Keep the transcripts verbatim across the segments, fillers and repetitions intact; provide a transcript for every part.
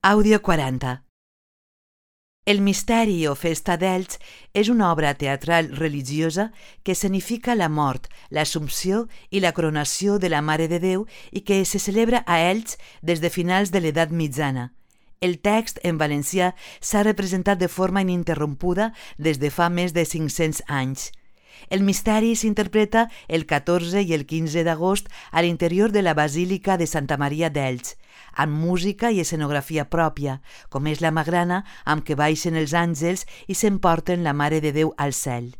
Àudio quaranta. El misteri o festa d'Elx és una obra teatral religiosa que escenifica la mort, l'Assumpció i la coronació de la Mare de Déu i que se celebra a Elx des de finals de l'Edat Mitjana. El text en valencià s'ha representat de forma ininterrompuda des de fa més de cinc-cents anys. El misteri s'interpreta el catorze i el quinze d'agost a l'interior de la Basílica de Santa Maria d'Elx, amb música i escenografia pròpia, com és la magrana amb què baixen els àngels i s'emporten la Mare de Déu al cel.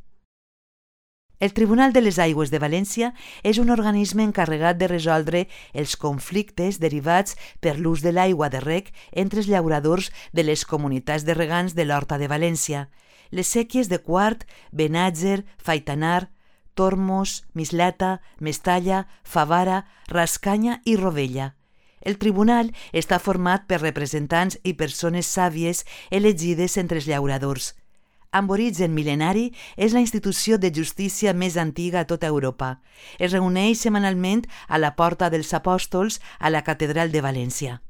El Tribunal de les Aigües de València és un organisme encarregat de resoldre els conflictes derivats per l'ús de l'aigua de reg entre els llauradors de les comunitats de regants de l'Horta de València, les séquies de Quart, Benàger, Faitanar, Tormos, Mislata, Mestalla, Favara, Rascanya i Rovella. El tribunal està format per representants i persones sàvies elegides entre els llauradors. Amb origen mil·lenari, és la institució de justícia més antiga a tota Europa. Es reuneix setmanalment a la Porta dels Apòstols a la Catedral de València.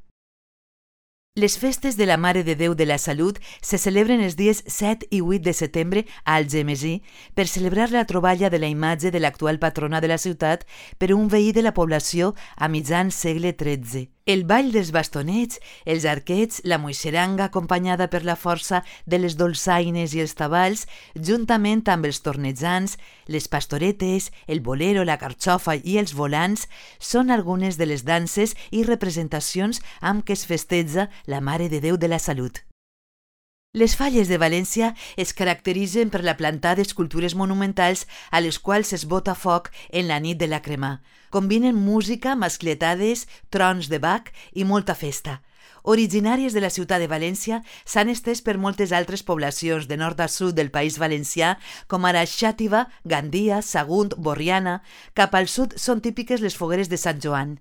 Les festes de la Mare de Déu de la Salut se celebren els dies set i vuit de setembre a Algemesí per celebrar la troballa de la imatge de l'actual patrona de la ciutat per un veí de la població a mitjan segle tretze. El ball dels bastonets, els arquets, la moixeranga acompanyada per la força de les dolçaines i els tabals, juntament amb els tornejants, les pastoretes, el bolero, la carxofa i els volants, són algunes de les danses i representacions amb què es festeja la Mare de Déu de la Salut. Les Falles de València es caracteritzen per la plantada d'escultures monumentals a les quals es bota foc en la nit de la cremà. Combinen música, mascletades, trons de Bach i molta festa. Originàries de la ciutat de València, s'han estès per moltes altres poblacions de nord a sud del País Valencià, com ara Xàtiva, Gandia, Sagunt, Borriana. Cap al sud són típiques les fogueres de Sant Joan.